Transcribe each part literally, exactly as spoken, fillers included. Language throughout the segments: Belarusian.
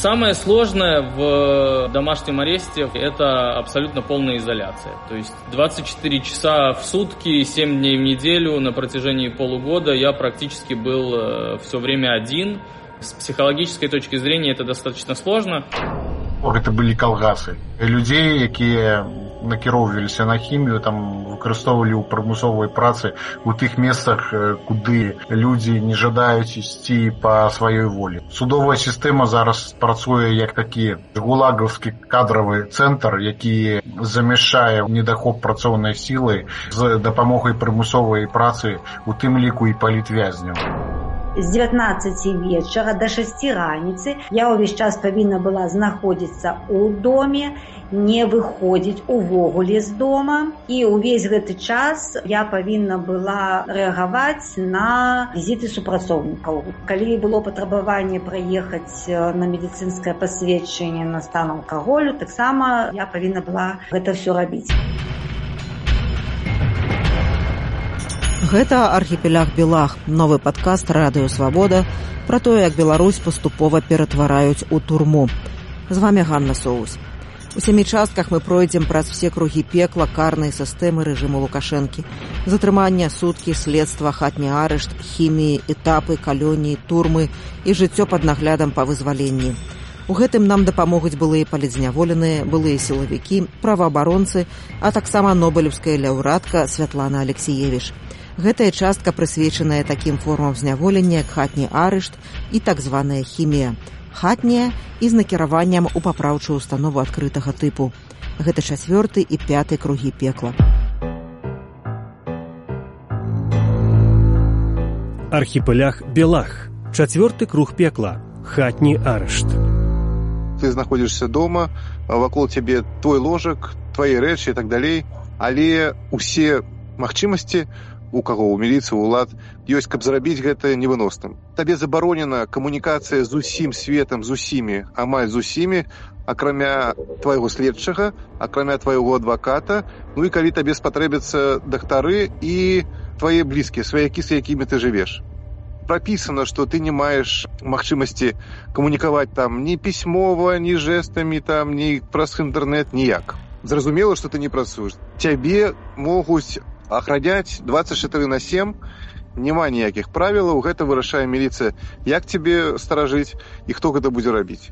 Самое сложное в домашнем аресте – это абсолютно полная изоляция. То есть двадцать четыре часа в сутки, семь дней в неделю на протяжении полугода я практически был все время один. С психологической точки зрения это достаточно сложно. Это были калгасы. Людей, якія накіроўваліся на хімію, там выкарыстоўвалі ў прымусовай працы у тых месцах, куды людзі не жадаюць ісці па сваёй волі. Судовая сістэма зараз працуе як такі гулагаўскі кадравы цэнтр, які замяшчае недахоп працоўнай сілы з дапамогай прымусовай працы, у тым ліку і палітвязняў. З дзевятнаццаці вечара да шасці раніцы я ўвесь час павінна была знаходзіцца ў доме, не выходзіць увогуле з дома. І ўвесь гэты час я павінна была рэагаваць на візіты супрацоўнікаў. Калі было патрабаванне праехаць на медыцынскае пасведчанне на стан алкаголю, таксама я павінна была гэта ўсё рабіць. Гэта «Архіпеляг Белах», новы падкаст «Радыё Свабода» пра тое, як Беларусь паступова ператвараюць у турму. З вамі Ганна Соус. У сямі частках мы пройдзем праз все кругі пекла карнай сістэмы рэжыму Лукашэнкі. Затрымання, суткі, следства, хатні арышт, хіміі, этапы, калоніі, турмы і жыццё пад наглядам па вызваленні. У гэтым нам дапамогуць былыя палітзняволеныя, былыя сілавікі, праваабаронцы, а таксама нобелеўская лаўрэатка Святлана Алексіевіч. Гэтая частка прысвечаная такім формам зняволення, як хатні арышт і так званая хімія. Хатняя і з накіраваннем у папраўчую установу адкрытага тыпу. Гэта чацвёрты і пяты кругі пекла. Архіпеляг Белах. Чацвёрты круг пекла. Хатні арышт. Ты знаходзішся дома, вакол цябе твой ложак, твае рэчы і так далей, але усе магчымасці у каго, у міліцыі, улад, ёсць, каб зрабіць гэта невыносным. Табе забаронена камунікацыя з усім светам, з усімі, амаль з усімі, акрамя твайго следчага, акрамя твайго адваката, ну і калі табе спатрэбяцца дактары і твае блізкія, сваякі, з якімі ты жывеш. Прапісана, што ты не маеш магчымасці камунікаваць там ні пісьмова, ні жэстамі, там, ні праз інтэрнэт, ніяк. Зразумела, што ты не працуеш. Цябе могуць ахраняць дваццаць чатыры на сем, няма ніякіх правілаў, гэта вырашае міліцыя, як цябе старажыць і хто гэта будзе рабіць.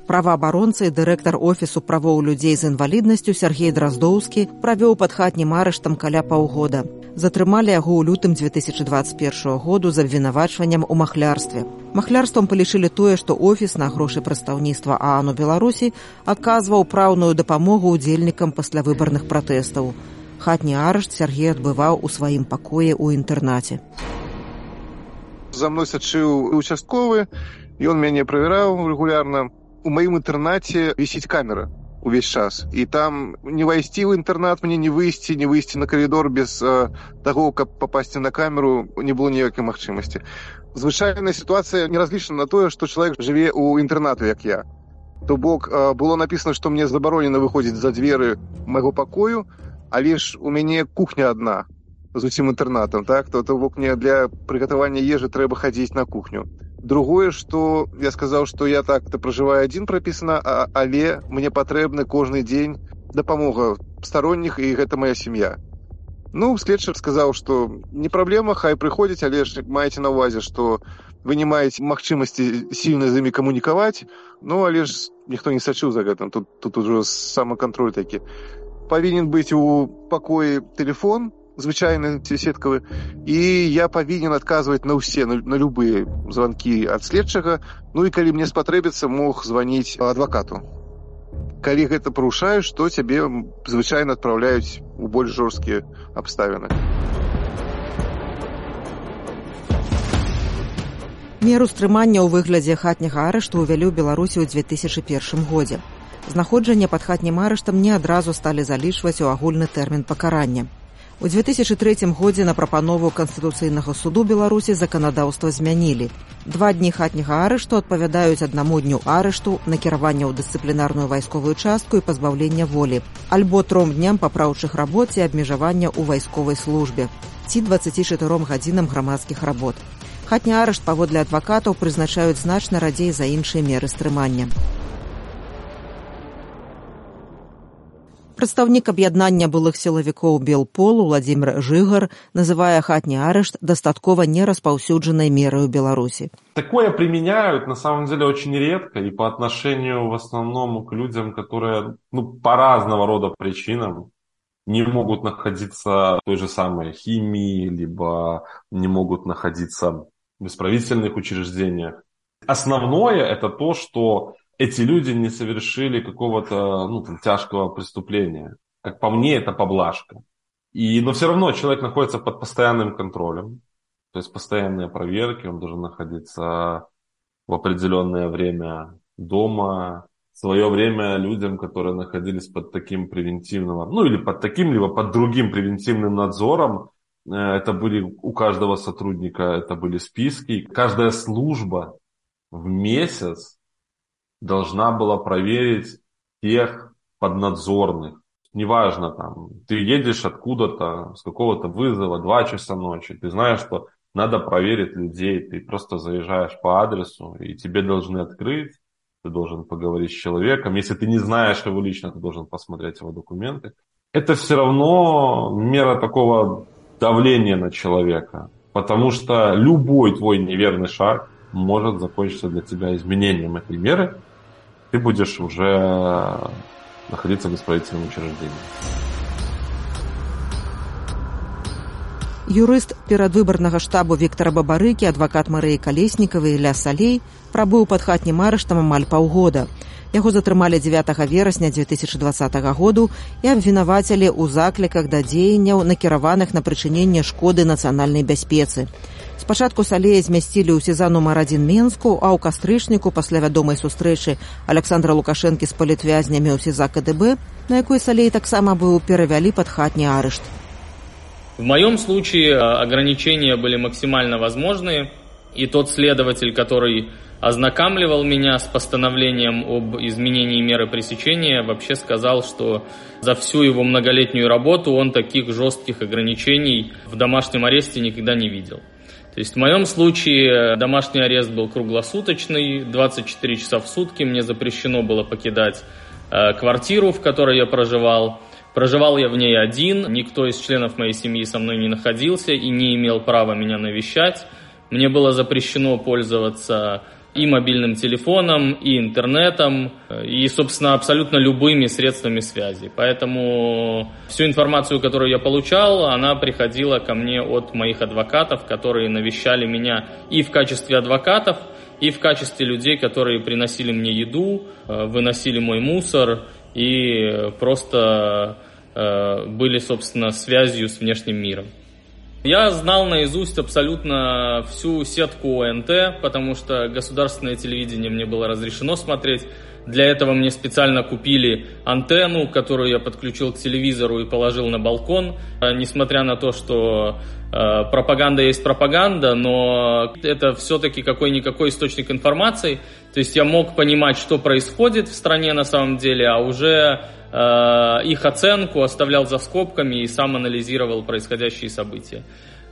Праваабаронца і дырэктар офісу правоў людзей з інваліднасцю Сергей Драздоўскі правёў пад хатнім арыштам каля паўгода. Затрымалі яго ў лютым дзве тысячы дваццаць першага году з абвінавачваннем у махлярстве. Махлярствам палічылі тое, што офіс на грошы прадстаўніцтва ААН у Беларусі адказваў праўную дапамогу ўдзельнікам паслявыбарных пратэстаў. Хатні арышт Сергей адбываў у сваім пакоі ў інтэрнаце. За мной сачыў участковы, ён мяне правяраў рэгулярна. У маім інтэрнаце вісіць камера увесь час. І там не вайсці ў інтэрнат, мне не выйсці, не выйсці на каридор без э, таго, каб папасці на камеру, не было ніякай магчымасці. Звычайная сітуацыя не разлічана на тое, што чалавек жыве ў інтэрнату, як я. То бок, э, было напісана, што мне забаронена выходзіць за дзверы майго пакою, але ж у мяне кухня адна з усім інтэрнатам, так? То, то бок мне для прыгатавання ежы трэба хадзіць на кухню. Другое, што я сказаў, што я так-то пражываю адзін прапісана, а, але мне патрэбны кожны дзень дапамога старонніх, і гэта моя сям'я. Ну, следчы сказаў, што не праблема, хай прыходзяць, але ж маеце на ўвазе, што вы не маеце магчымасці сильна з імі камунікаваць, ну, але ж ніхто не сачыў за гэтым, тут, тут ужо самакантроль такі. Павінен быць у пакоі тэлефон, звычайны сеткавы, і я павінен адказваць на ўсе, на, на любыя званкі ад следчага, ну і калі мне спатрэбіцца, мог званіць адвакату. Калі гэта парушаеш, то цябе звычайна адпраўляюць у больш жорсткія абставіны. Меру стрымання ў выглядзе хатняга арышту ўвялі ў Беларусі ў дзве тысячы першым годзе. Знаходжанне пад хатнім арыштам не адразу сталі залічваць у агульны тэрмін пакарання. У дзве тысячы трэцім годзе на прапанову Канстытуцыйнага суду Беларусі заканадаўства змянілі. Два дні хатняга арышту адпавядаюць аднаму дню арышту, накіравання ў дысцыплінарную вайсковую частку і пазбаўлення волі, альбо тром дням папраўчых работ ці абмежавання ў вайсковай службе, ці дваццаці чатыром гадзінам грамадскіх работ. Хатні арышт, паводле адвакатаў, прызначаюць значна радзей за іншыя меры стрымання. Прадстаўнік аб'яднання былых сілавікоў Белпол Владзімір Жыгар называе хатні арышт дастаткова нераспаўсюджанай мерай у Беларуси. Такое применяют на самом деле очень редко и по отношению в основном к людям, которые ну, по разного рода причинам не могут находиться в той же самой химии, либо не могут находиться в исправительных учреждениях. Основное это то, что эти люди не совершили какого-то ну, там, тяжкого преступления. Как по мне, это поблажка. И, но все равно человек находится под постоянным контролем. То есть постоянные проверки, он должен находиться в определенное время дома. В свое время людям, которые находились под таким превентивным, ну или под таким, либо под другим превентивным надзором, это были у каждого сотрудника, это были списки. Каждая служба в месяц должна была проверить тех поднадзорных. Неважно, там, ты едешь откуда-то, с какого-то вызова, два часа ночи, ты знаешь, что надо проверить людей, ты просто заезжаешь по адресу, и тебе должны открыть, ты должен поговорить с человеком. Если ты не знаешь его лично, ты должен посмотреть его документы. Это все равно мера такого давления на человека, потому что любой твой неверный шаг может закончиться для тебя изменением этой меры. Ты будешь уже находиться в исправительном учреждении. Юрыст перадвыбарнага штабу Віктара Бабарыкі, адвакат Марыі Калеснікавай Ілля Салей прабыў пад хатнім арыштам амаль паўгода. Яго затрымалі дзевятага верасня дзве тысячы дваццатага году і абвінавацілі ў закліках да дзеянняў, накіраваных на прычыненне шкоды нацыянальнай бяспецы. Спачатку Салея змясцілі ў сеза нумар адзін Менску, а ў кастрычніку пасля вядомай сустрэчы Александра Лукашэнкі з палітвязнямі ў сеза ка дэ бэ, на якой Салей таксама быў, перавялі пад хатні арышт. В моем случае ограничения были максимально возможные, и тот следователь, который ознакомливал меня с постановлением об изменении меры пресечения, вообще сказал, что за всю его многолетнюю работу он таких жестких ограничений в домашнем аресте никогда не видел. То есть в моем случае домашний арест был круглосуточный, двадцать четыре часа в сутки, мне запрещено было покидать э, квартиру, в которой я проживал. Проживал я в ней один, никто из членов моей семьи со мной не находился и не имел права меня навещать. Мне было запрещено пользоваться и мобильным телефоном, и интернетом, и, собственно, абсолютно любыми средствами связи. Поэтому всю информацию, которую я получал, она приходила ко мне от моих адвокатов, которые навещали меня и в качестве адвокатов, и в качестве людей, которые приносили мне еду, выносили мой мусор и просто э, были, собственно, связью с внешним миром. Я знал наизусть абсолютно всю сетку о эн тэ, потому что государственное телевидение мне было разрешено смотреть. Для этого мне специально купили антенну, которую я подключил к телевизору и положил на балкон. Несмотря на то, что э, пропаганда есть пропаганда, но это все-таки какой-никакой источник информации. То есть я мог понимать, что происходит в стране на самом деле, а уже э, их оценку оставлял за скобками и сам анализировал происходящие события.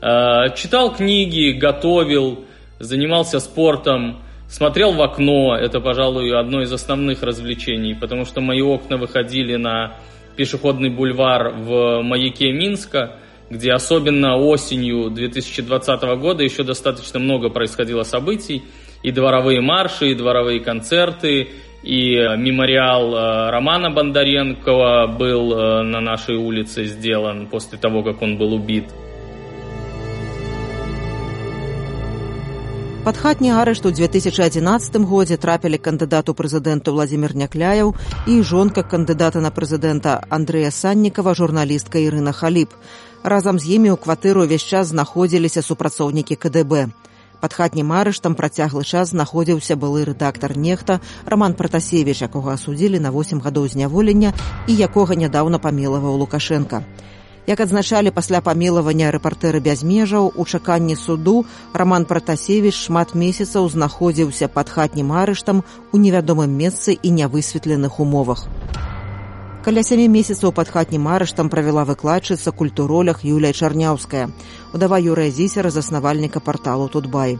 Э, читал книги, готовил, занимался спортом, смотрел в окно. Это, пожалуй, одно из основных развлечений, потому что мои окна выходили на пешеходный бульвар в маяке Минска, где особенно осенью две тысячи двадцатого года еще достаточно много происходило событий. И дворовые марши, и дворовые концерты, и мемориал Романа Бондаренкова был на нашей улице сделан после того, как он был убит. Пад хатні арышт у дзве тысячы адзінаццатым годзе трапілі кандыдат у прэзідэнту Владзімір Някляеў і жонка кандыдата на прэзідэнта Андрэя Саннікава, журналістка Ірына Халіп. Разам з імі ў кватыру ўвесь час знаходзіліся супрацоўнікі ка дэ бэ. Пад хатнім арыштам працяглы час знаходзіўся былы рэдактар «Нехта» Роман Пратасевіч, якога асудзілі на восем гадоў зняволення і якога нядаўна памілаваў Лукашенка. Як адзначалі пасля памілавання рэпартэры без межаў, у чаканні суду Роман Пратасевіч шмат месяцаў знаходзіўся пад хатнім арыштам у невядомым месцы і нявысветленых умовах. Каля сямі месяцаў пад хатнім арыштам правяла выкладчыца культуролях Юлія Чарняўская, удава Юрыя Зісера, заснавальніка парталу Тутбай.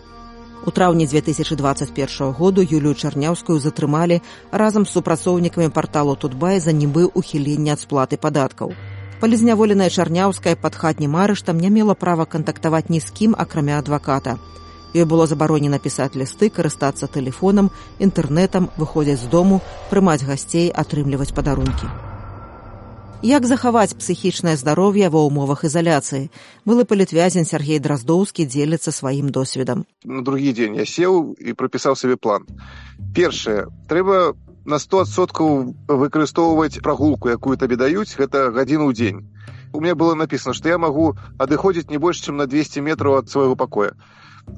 У траўні дзве тысячы дваццаць першага году Юлію Чарняўскую затрымалі разам з супрацоўнікамі парталу Тутбай за нібы ухіленне ад сплаты падаткаў. Палізняволеная Чарняўская пад хатнім арыштам не мела права кантактаваць ні з кім, акрамя адваката. Ёй было забаронена пісаць лісты, карыстацца тэлефонам, інтэрнэтам, выходзіць з дому, прымаць гасцей, атрымліваць падарункі. Як захаваць псіхічнае здароўе ва ўмовах ізаляцыі? Былы палітвязень Сергей Драздоўскі дзеліцца сваім досведам. На другі дзень я сеў і прапісаў сабе план. Першае, трэба на сто адсоткаў выкарыстоўваць прагулку, якую табе даюць, гэта гадзіну ў дзень. У мяне было напісана, што я магу адыходзіць не больш, чым на двесце метраў ад свайго пакоя.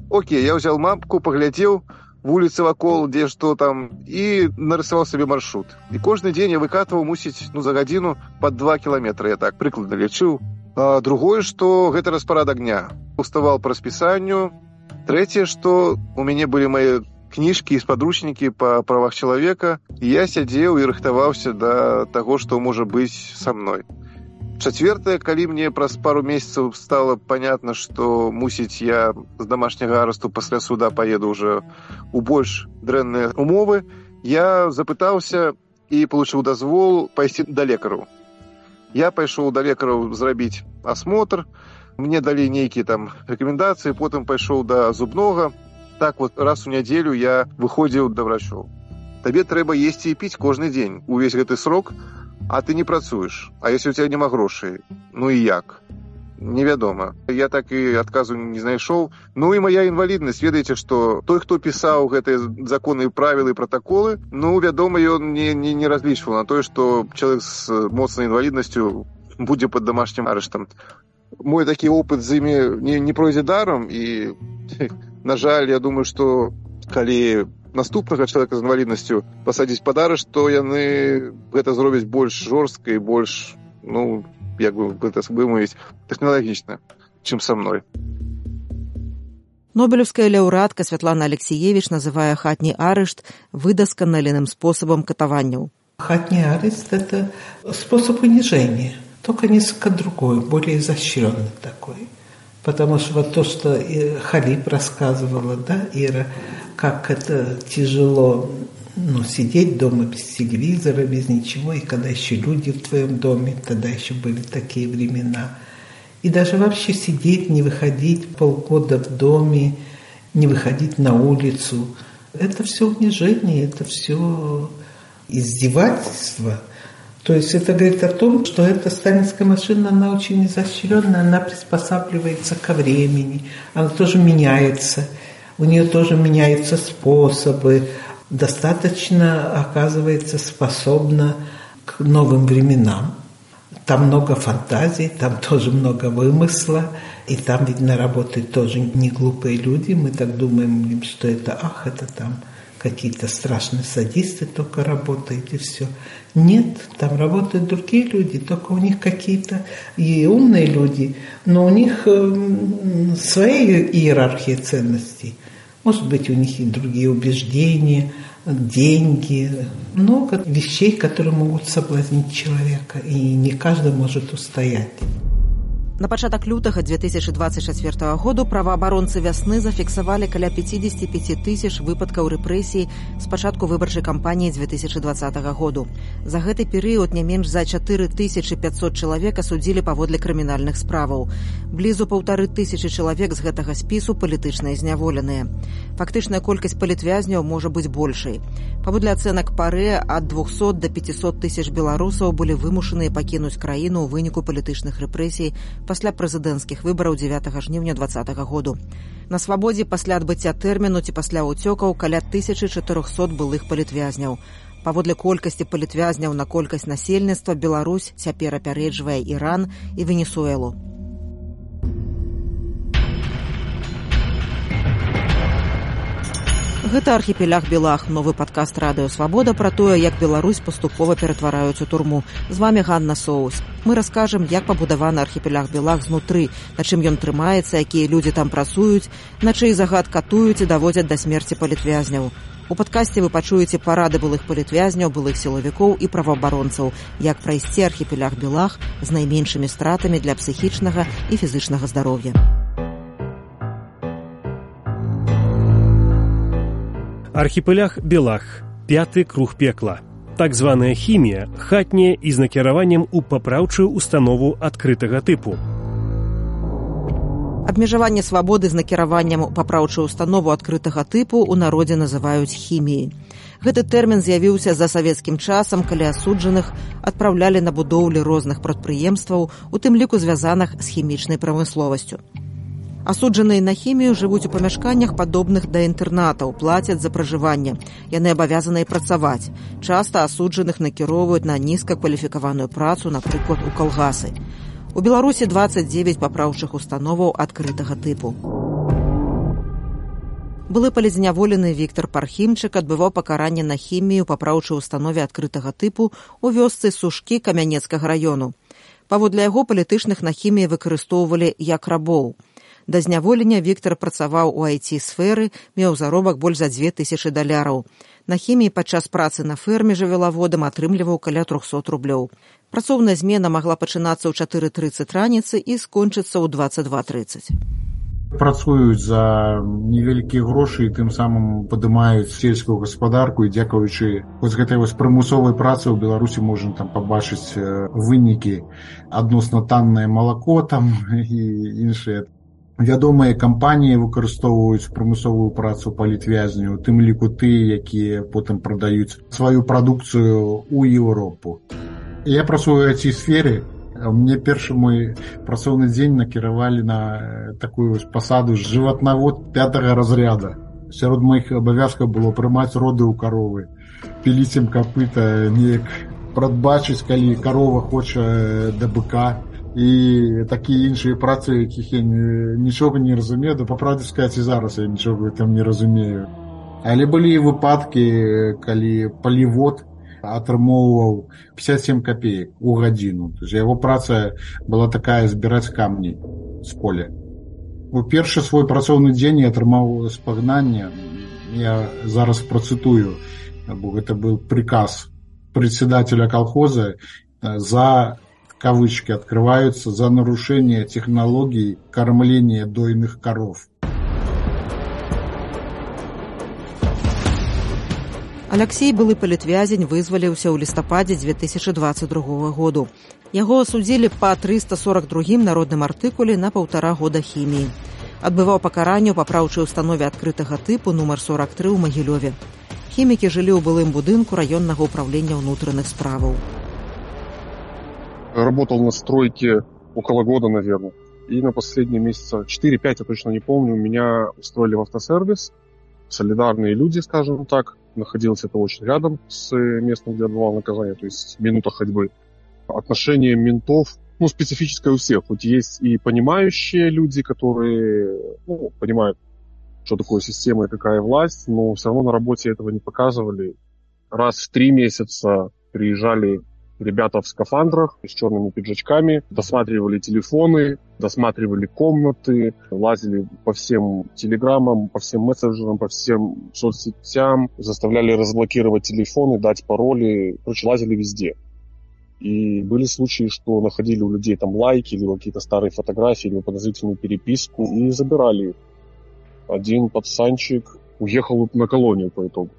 Окей, я ўзяў мапку, паглядзеў вуліцы вакол, дзе што там, і нарысаваў сабе маршрут. І кожны дзень я выкатваў, мусіць, ну, за гадзіну пад два кіламетры, я так прыкладна лічыў. А другое, што гэта распарадак дня. Уставаў па распісанню. Трэцяе, што у мяне былі мае кніжкі і спадручнікі па правах чалавека, і я сядзеў і рыхтаваўся да таго, што можа быць са мной. Чацвёртае, калі мне праз пару месяцаў стала понятна, што, мусіць, я з дамашняга арысту пасля суда паеду ўжо ў больш дрэнныя умовы, я запытаўся і получыў дазвол пайсці да лекараў. Я пайшоў да лекараў зрабіць асмотр, мне далі нейкія там рэкамендацыі, потым пайшоў да зубнога. Так вот, раз у нядзелю я выходзіў да врачоў. Табе трэба есці і піць кожны дзень, увесь гэты срок, а ты не працуеш. А если у тебя няма грошай, ну і як? Невядома. Я так і адказу не знайшоў. Ну і моя інваліднасць, ведаеце, што той, хто пісаў гэтыя законы, правілы і пратаколы, ну, вядома, ён не, не, не разлічваў на тое, што чалавек з моцнай інваліднасцю будзе пад дамашнім арыштам. Мой такі опыт з імі не, не пройдзе даром, і, на жаль, я думаю, што калі наступнага чалавека з інваліднасцю пасадзіць пад арышт, то яны гэта зробяць больш жорстка і больш, ну, як бы гэта вымовіць, тэхналагічна, чым са мной. Нобелевская лаўрэатка Святлана Алексеевич называе хатні арышт выдасканаленым способом катаванняў. Хатний арест – это способ унижения, только несколько другой, более изощренный такой. Потому что вот то, что Халиб рассказывала, да, Ира, как это тяжело, ну, сидеть дома без телевизора, без ничего, и когда еще люди в твоем доме, тогда еще были такие времена. И даже вообще сидеть, не выходить полгода в доме, не выходить на улицу. Это все унижение, это все издевательство. То есть это говорит о том, что эта сталинская машина, она очень изощренная, она приспосабливается ко времени, она тоже меняется, у нее тоже меняются способы, достаточно, оказывается, способна к новым временам. Там много фантазий, там тоже много вымысла, и там, видно, работают тоже не глупые люди. Мы так думаем, что это, ах, это там какие-то страшные садисты только работают, и все. Нет, там работают другие люди, только у них какие-то и умные люди, но у них э, своя иерархия ценностей. Может быть, у них и другие убеждения, деньги, много вещей, которые могут соблазнить человека, и не каждый может устоять. На пачатак лютага две тысячи двадцать четвёртого году праваабаронцы вясны зафіксавалі каля пятьдесят пять тысяч выпадкаў рэпрэсій з пачатку выбарчай кампаніі две тысячи двадцатого году. За гэты перыяд не менш за четыре тысячи пятьсот чалавек асудзілі паводле крымінальных справаў. Блізу паўтары тысячы чалавек з гэтага спісу палітычна зняволеныя. Фактычная колькасць палітвязняў можа быць большай. Паводле ацэнак ПАРЭ, ад двухсот до пятисот тысяч беларусаў былі вымушаныя пакінуць краіну ў выніку палітычных рэпрэсій пасля прэзідэнцкіх выбараў дзевятага жніўня двадцатого году. На свабодзе пасля адбыцця тэрміну ці пасля ўцёкаў каля тысячы чатырохсот былых палітвязняў. Паводле колькасці палітвязняў на колькасць насельніцтва Беларусь цяпер апярэджвае Іран і Венесуэлу. Гэта архіпелях Белах, новы падкаст радыё Свабода пра тое, як Беларусь паступова ператвараюць у турму. З вамі Ганна Соус. Мы раскажам, як пабудаваны архіпелях Белах знутры, на чым ён трымаецца, якія людзі там працуюць, на чый загад катуюць і даводзяць да смерці палітвязняў. У падкасці вы пачуеце парады былых палітвязняў, былых сілавікоў і праваабаронцаў, як прайсці архіпелях Белах з найменшымі стратамі для псіхічнага і фізычнага здароўя. Архіпелях Белах. Пяты круг пекла. Так званая хімія, хатняя і з накіраваннем у папраўчую установу адкрытага тыпу. Абмежаванне свабоды з накіраваннем у папраўчую установу адкрытага тыпу ў народзе называюць хіміяй. Гэты тэрмін з'явіўся за савецкім часам, калі асуджаных адпраўлялі на будоўлі розных прадпрыемстваў, у тым ліку звязаных з хімічнай прамысловасцю. Асуджаныя на хімію жывуць у памяшканнях, падобных да інтэрнатаў, плацяць за пражыванне. Яны абавязаныя працаваць. Часта асуджаных накіроўваюць на нізкакваліфікаваную працу, напрыклад, у калгасы. У Беларусі дваццаць дзевяць папраўчых установаў адкрытага тыпу. Былы палізняволены Віктар Пархімчык адбываў пакаранне на хімію папраўчай установе адкрытага тыпу ў вёсцы Сушкі Камянецкага раёну. Паводле яго палітычных на хіміі выкарыстоўвалі як рабоў. Да зняволення Віктар працаваў у ай ти-сферы, меў заробак больш за дзве тысячы даляраў. На хіміі падчас працы на ферме жывёлаводам атрымліваў каля трохсот рублёў. Працоўная змена магла пачынацца ў чатыры трыццаць раніцы і скончыцца ў дваццаць два трыццаць. Працуюць за невялікія грошы і тым самым падымаюць сельскую гаспадарку, і дзякуючы вось гэтай вось прымусовай працы ў Беларусі можна там пабачыць вынікі, адносна таннае малако там і іншыя. Вядомыя кампаніі выкарыстоўваюць прымусовую працу палітвязняў, у тым ліку тыя, якія потым прадаюць сваю прадукцыю ў Еўропу. Я працую ў ай ти-сферы. Мне першы мой працоўны дзень накіравалі на такую пасаду жыватнавод пятага разряда. Сярод маіх абавязкаў было прымаць роды ў каровы, піліць ім капыта, неяк прадбачыць, калі карова хоча да быка, і такія іншыя працы, якіх я нічога не разумею, да па правде сказаць, і зараз я нічога там не разумею. Але былі выпадкі, калі палівод атрымоўваў пятьдесят семь копеек у гадзіну. То есть яго праца была такая, збіраць камні з поля. У першы свой працоўны дзень я атрымаў спагнанне. Я зараз працытую, бо гэта быў приказ председателя колхоза за, кавычки открываются, за нарушение технологий кормления дойных коров. Аляксей, былы палітвязень, вызваліўся ў лістападзе дзве тысячы дваццаць другога году. Яго асудзілі па трыста сорок другім народным артыкуле на паўтара года хіміі. Адбываў пакаранне ў папраўчай установе адкрытага тыпу нумар сорок тры ў Магілёве. Хімікі жылі ў былым будынку раённага ўправлення ўнутраных справаў. Работал на стройке около года, наверное. И на последние месяца четыре-пять, я точно не помню, меня устроили в автосервис. Солидарные люди, скажем так. Находилось это очень рядом с местом, где отбывал наказание, то есть минута ходьбы. Отношение ментов, ну, специфическое у всех. Хоть есть и понимающие люди, которые, ну, понимают, что такое система и какая власть, но все равно на работе этого не показывали. Раз в три месяца приезжали ребята в скафандрах с черными пиджачками, досматривали телефоны, досматривали комнаты, лазили по всем телеграммам, по всем мессенджерам, по всем соцсетям, заставляли разблокировать телефоны, дать пароли, короче, лазили везде. И были случаи, что находили у людей там лайки или какие-то старые фотографии, или подозрительную переписку и забирали их. Один пацанчик уехал на колонию по итогу.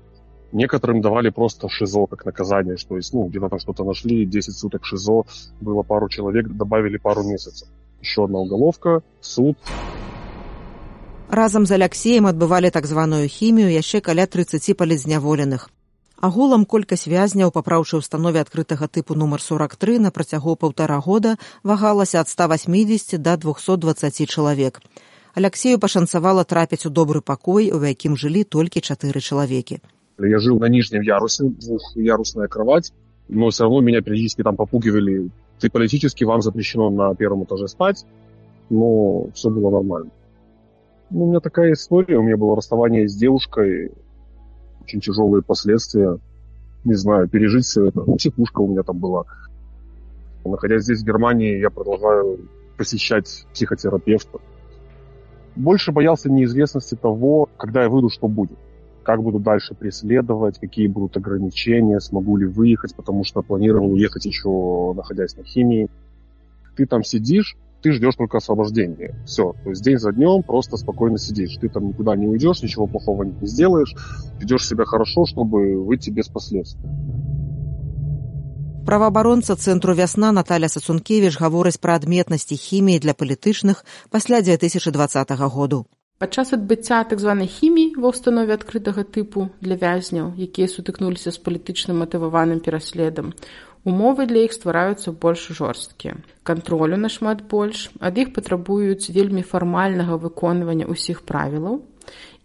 Некоторым давали просто ШИЗО как наказание, что есть, ну, где-то там что-то нашли, десять суток ШИЗО, было пару человек, добавили пару месяцев. Еще одна уголовка, суд. Разам з Аляксеем адбывалі так званую хімію яшчэ каля трыццаці палізняволеных. Агулам колькасць вязняў па папраўчай установе адкрытага тыпу нумар сорок тры на працягу паўтара года вагалася ад ста васьмідзесяці да двухсот дваццаці чалавек. Аляксею пашанцавала трапіць у добры пакой, у якім жылі толькі чатыры чалавекі. Я жил на нижнем ярусе, двухъярусная кровать, но все равно меня периодически там попугивали. Ты политически, вам запрещено на первом этаже спать, но все было нормально. Ну, у меня такая история, у меня было расставание с девушкой, очень тяжелые последствия. Не знаю, пережить все это. Психушка у меня там была. Находясь здесь, в Германии, я продолжаю посещать психотерапевта. Больше боялся неизвестности того, когда я выйду, что будет. Как буду дальше преследовать, какие будут ограничения, смогу ли выехать, потому что планировал уехать еще, находясь на химии. Ты там сидишь, ты ждешь только освобождения. Все. То есть день за днем просто спокойно сидишь. Ты там никуда не уйдешь, ничего плохого не сделаешь, ведешь себя хорошо, чтобы выйти без последствий. Праваабаронца цэнтру «Вясна» Наталя Сацункевіч гаворыць пра адметнасці хіміі для палітычных пасля дзве тысячы дваццатага году. Падчас адбыцця так званай хіміі ва ўстанове адкрытага тыпу для вязняў, якія сутыкнуліся з палітычна матываваным пераследам, умовы для іх ствараюцца больш жорсткія. Кантролю нашмат больш, ад іх патрабуюць вельмі фармальнага выконвання ўсіх правілаў,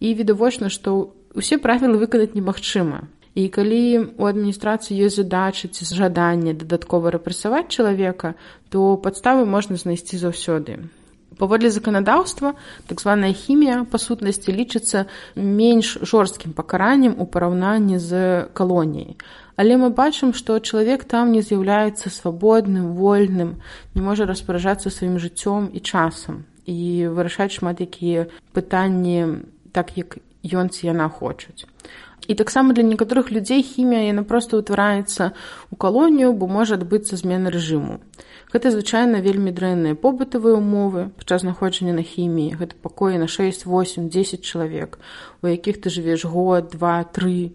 і відавочна, што ўсе правілы выканаць немагчыма. І калі у адміністрацыі ёсць задача ці жаданне дадаткова рэпрэсаваць чалавека, то падставы можна знайсці заўсёды. Паводле заканадаўства, так званая хімія, па сутнасці, лічыцца менш жорсткім пакараннем у параўнанні з калоніяй. Але мы бачым, што чалавек там не з'яўляецца свабодным, вольным, не можа распараджацца сваім жыццём і часам і вырашаць шмат якія пытанні так, як ён ці яна хочуць. І таксама для некаторых людзей хімія яна проста ўтвараецца ў калонію, бо можа адбыцца змена рэжыму. Гэта звычайна вельмі дрэнныя побытавыя умовы падчас знаходжання на хіміі. Гэта пакоі на шэсць, восем, дзесяць чалавек, у якіх ты жывеш год, два, тры,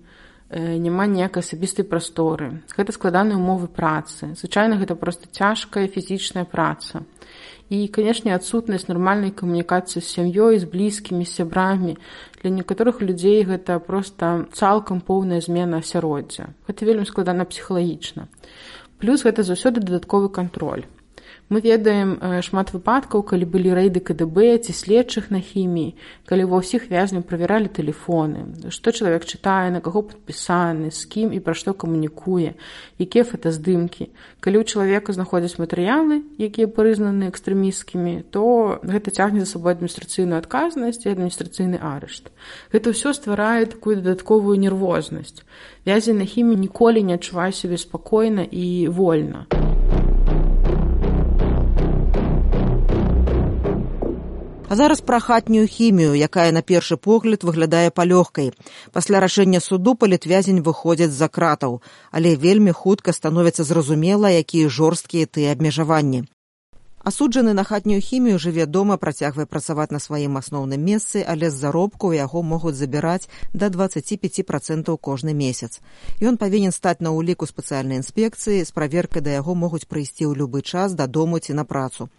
э, няма ніякай асабістай прасторы. Гэта складаныя умовы працы. Звычайна гэта проста цяжкая фізічная праца. І, канешне, адсутнасць нармальнай камунікацыі з сям'ёй, з блізкімі, з сябрамі. Для некаторых людзей гэта проста цалкам поўная змена асяроддзя. Гэта вельмі складана псіхалагічна. Плюс гэта заўсёды дадатковы кантроль. Мы ведаем шмат выпадкаў, калі былі рэйды ка дэ бэ ці следчых на хіміі, калі ва ўсіх вязняў правяралі тэлефоны, што чалавек чытае, на каго падпісаны, з кім і пра што камунікуе, якія фотаздымкі. Калі ў чалавека знаходзяць матэрыялы, якія прызнаны экстрэмісцкімі, то гэта цягне за сабой адміністрацыйную адказнасць і адміністрацыйны арышт. Гэта ўсё стварае такую дадатковую нервознасць. Вязень на хіміі ніколі не адчувае сябе спакойна і вольна. А зараз пра хатнюю хімію, якая на першы погляд выглядае палёгкай. Пасля рашэння суду палітвязень выходзяць з-за кратаў, але вельмі хутка становіцца зразумела, якія жорсткія тыя абмежаванні. Асуджаны на хатнюю хімію жыве дома, працягвае працаваць на сваім асноўным месцы, але з заробку яго могуць забіраць да дваццаць пяць працэнтаў кожны месяц. Ён павінен стаць на ўліку спецыяльнай інспекцыі, з праверкай да яго могуць прыйсці ў любы час дадому ці на працу.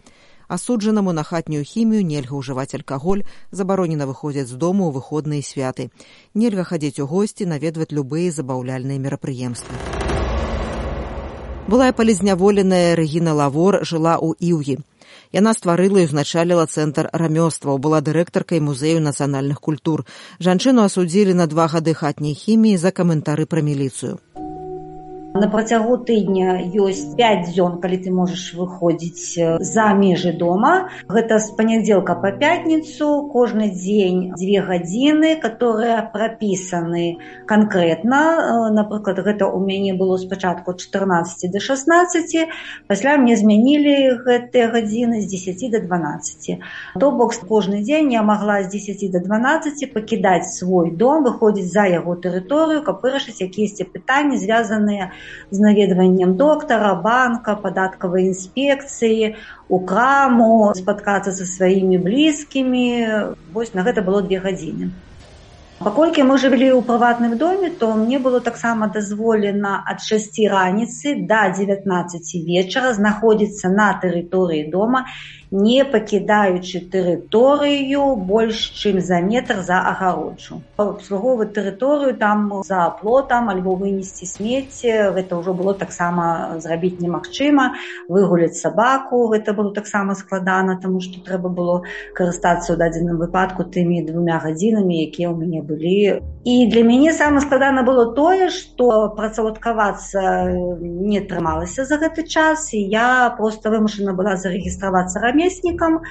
Асуджанаму на хатнюю хімію нельга ўжываць алкаголь, забаронена выходзіць з дому ў выходныя святы. Нельга хадзіць у госці, наведваць любыя забаўляльныя мерапрыемствы. Былая палізняволеная Рэгіна Лавор жыла ў Іўгі. Яна стварыла і ўзначаліла цэнтр рамёстваў, была дырэктаркай музею нацыянальных культур. Жанчыну асудзілі на два гады хатняй хіміі за каментары пра міліцыю. На працягу тыдня ёсць пяць дзён, калі ты можаш выходзіць за межы дома. Гэта з панядзелка па пятніцу, кожны дзень дзве гадзіны, которые прапісаны канкрэтна. Напрыклад, гэта ў мяне было спачатку ад чатырнаццаці да шаснаццаці, пасля мне змянілі гэтыя гадзіны з дзесяці да дванаццаці. То бок кожны дзень я магла з дзесяці да дванаццаці пакідаць свой дом, выходзіць за яго тэрыторыю, каб вырашыць якіясьці пытанні, звязаныя з наведваннем доктара, банка, падаткавай інспекцыі, у краму, спаткацца са сваімі блізкімі. Вось на гэта было две гадзіны. Паколькі мы жылі ў прыватным доме, то мне было таксама дазволена ад шасці раніцы да дзевятнаццаці вечара знаходзіцца на тэрыторыі дома, не пакідаючы тэрыторыю больш чым за метр за агароджу. Абслугоўваць тэрыторыю там за плотам альбо вынесці смецце, гэта ўжо было таксама зрабіць немагчыма. Выгуляць сабаку, гэта было таксама складана, таму што трэба было карыстацца ў дадзеным выпадку тымі двумя гадзінамі, якія ў мяне былі. І для мяне самае складана было тое, што працаўладкавацца не атрымалася за гэты час, і я проста вымушана была зарэгістравацца рамеснікам рамеснікам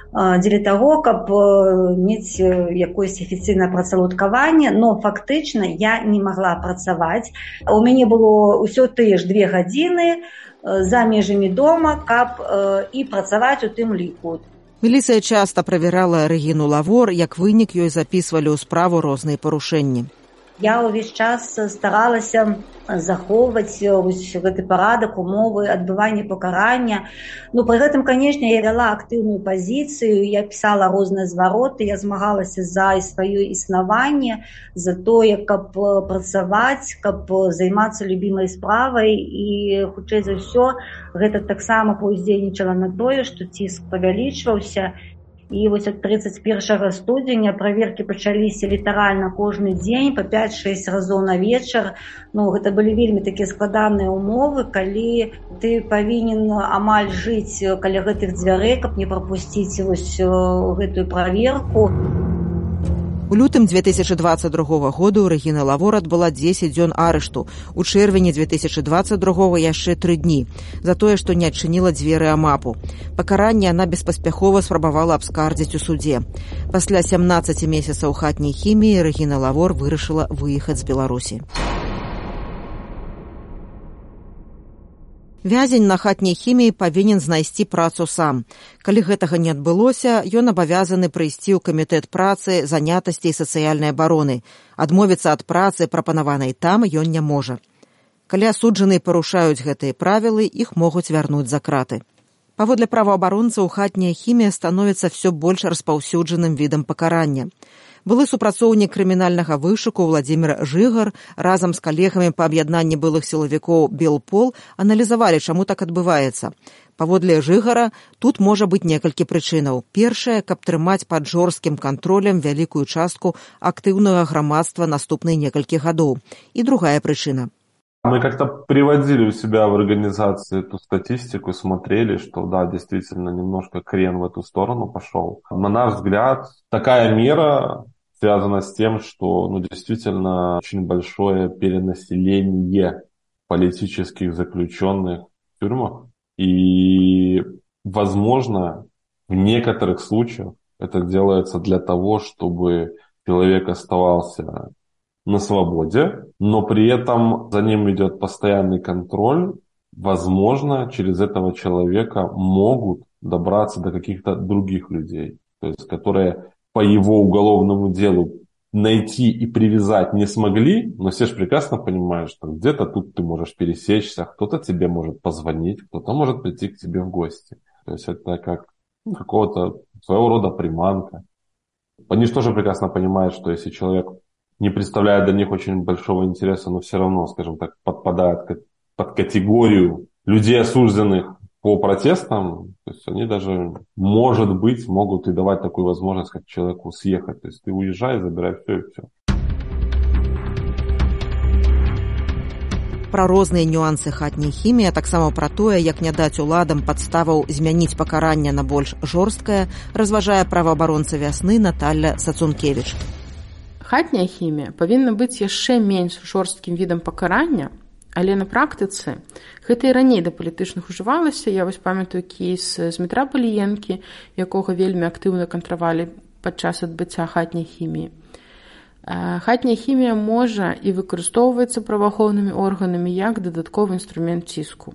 дзеля таго, каб мець якоеся афіцыйнае працаўладкаванне, но фактычна я не магла працаваць. У мяне было ўсё тыя ж две гадзіны за межамі дома, каб і працаваць у тым ліку. Міліцыя часта правярала Рэгіну Лавор, як вынік ёй запісвалі ў справу розныя парушэнні. Я ўвесь час старалася захоўваць гэты парадак, умовы адбывання пакарання. Ну, пры гэтым, канешне, я вяла актыўную пазіцыю, я пісала розныя звароты, я змагалася за сваё існаванне, за тое, каб працаваць, каб займацца любімай справай, і, хутчэй за ўсё, гэта таксама паўздзейнічала на тое, што ціск павялічваўся. І вось ад трыццаць першага студзеня праверкі пачаліся літаральна кожны дзень па пяць-шэсць разоў на вечар. Ну, гэта былі вельмі такія складаныя умовы, калі ты павінен амаль жыць каля гэтых дзвярэй, каб не прапусціць вось гэтую праверку. У лютым дзве тысячы дваццаць другога году Рэгіна Лавор адбыла дзесяць дзён арышту. У чэрвені дзве тысячы дваццаць другога яшчэ тры дні за тое, што не адчыніла дзверы амапу. Пакаранне яна беспаспяхова спрабавала абскардзіць у судзе. Пасля сямнаццаці месяцаў хатняй хіміі Рэгіна Лавор вырашыла выехаць з Беларусі. Вязень на хатняй хіміі павінен знайсці працу сам. Калі гэтага не адбылося, ён абавязаны прыйсці ў камітэт працы, занятасці і сацыяльнай абароны. Адмовіцца ад працы, прапанаванай там, ён не можа. Калі асуджаныя парушаюць гэтыя правілы, іх могуць вярнуць за краты. Паводле праваабаронцаў, хатняя хімія становіцца ўсё больш распаўсюджаным відам пакарання. Былы супрацоўнік крымінальнага вышуку Владзімір Жыгар разам з калегамі па аб'яднанні былых сілавікоў Белпол аналізавалі, чаму так адбываецца. Паводле Жыгара, тут можа быць некалькі прычынаў. Першае, каб трымаць пад жорсткім кантролем вялікую частку актыўнага грамадства наступныя некалькі гадоў. І другая прычына. Мы как-то приводили у себя в организации эту статистику, смотрели, что да, действительно немножко крен в эту сторону пошел. На наш взгляд, такая мера связана с тем, что ну, действительно очень большое перенаселение политических заключенных в тюрьмах. И, возможно, в некоторых случаях это делается для того, чтобы человек оставался на свободе, но при этом за ним идет постоянный контроль. Возможно, через этого человека могут добраться до каких-то других людей, то есть которые по его уголовному делу найти и привязать не смогли, но все же прекрасно понимают, что где-то тут ты можешь пересечься, кто-то тебе может позвонить, кто-то может прийти к тебе в гости. То есть это как ну, какого-то своего рода приманка. Они же тоже прекрасно понимают, что если человек не представляет для них очень большого интереса, но все равно, скажем так, подпадает под категорию людей, осужденных по протестам, то есть они даже, может быть, могут и давать такую возможность, как человеку съехать. То есть ты уезжай, забирай все и все. Пра розныя нюансы хатняй хіміі, а таксама пра тое, як не даць уладам падставаў змяніць пакаранне на больш жорсткае, разважае праваабаронца вясны Наталля Сацункевіч. Хатняя хімія павінна быць яшчэ менш жорсткім відам пакарання, але на практыцы гэта і раней да палітычных ужывалася. Я вось памятаю кейс з Дмітра Паліенкі, якога вельмі актыўна кантравалі падчас адбыцця хатняй хіміі. Хатняя хімія можа і выкарыстоўваецца праваахоўнымі органамі як дадатковы інструмент ціску.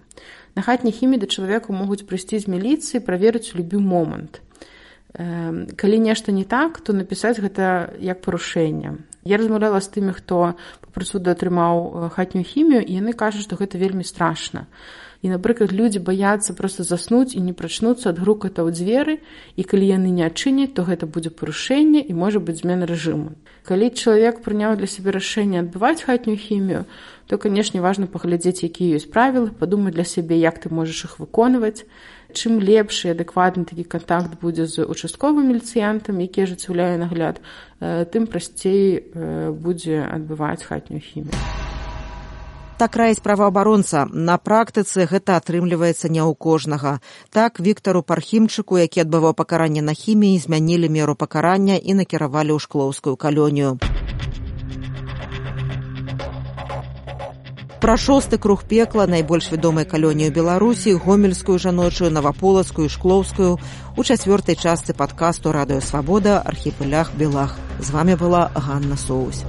На хатняй хіміі да чалавека могуць прыйсці з міліцыі, праверыць у любы момант. Калі нешта не так, то напісаць гэта як парушэнне. Я размаўляла з тымі, хто па прысуду атрымаў хатнюю хімію, і яны кажуць, што гэта вельмі страшна. І, напрыклад, людзі баяцца проста заснуць і не прачнуцца ад груката ў дзверы, і калі яны не адчыняць, то гэта будзе парушэнне і можа быць змена рэжыму. Калі чалавек прыняў для сябе рашэнне адбываць хатнюю хімію, то, канешне, важна паглядзець, якія ёсць правілы, падумаць для сябе, як ты можаш іх выконваць. Чым лепшы і адэкватны такі кантакт будзе з участковым міліцыянтам, які ажыццяўляе нагляд, тым прасцей будзе адбываць хатнюю хімію. Так раіць праваабаронца. На практыцы гэта атрымліваецца не ў кожнага. Так, Віктару Пархімчыку, які адбываў пакаранне на хіміі, змянілі меру пакарання і накіравалі ў шклоўскую калонію. Пра шосты круг пекла, найбольш вядомай калоніі ў Беларусі, гомельскую жаночую, наваполацкую, шклоўскую, у чацвёртай частцы падкасту «Радыё Свабода. Архіпелях Белах». З вамі была Ганна Соусь.